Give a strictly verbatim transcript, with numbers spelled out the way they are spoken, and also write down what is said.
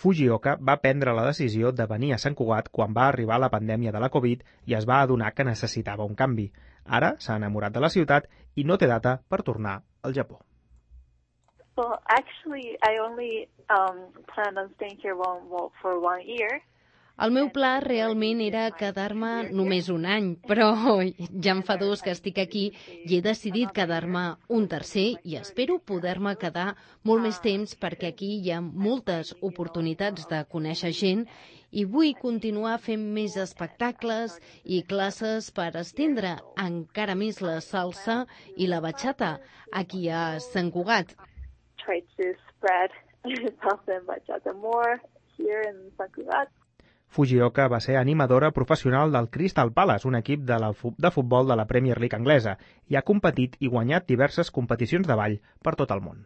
Fujioka va prendre la decisió de venir a Sant Cugat quan va arribar la pandèmia de la Covid i es va adonar que necessitava un canvi. Ara s'ha enamorat de la ciutat i no té data per tornar al Japó. Well, actually, I only um, planned on staying here one, well, for one year. El meu pla realment era quedar-me només un any, però ja em fa dos que estic aquí i he decidit quedar-me un tercer i espero poder-me quedar molt més temps perquè aquí hi ha moltes oportunitats de conèixer gent i vull continuar fent més espectacles i classes per estendre encara més la salsa i la bachata aquí a Sant Cugat. Try to spread salsa and bachata more here in Sant Cugat. Fujioka va ser animadora professional del Crystal Palace, un equip de, la, de futbol de la Premier League anglesa, i ha competit i guanyat diverses competicions de ball per tot el món.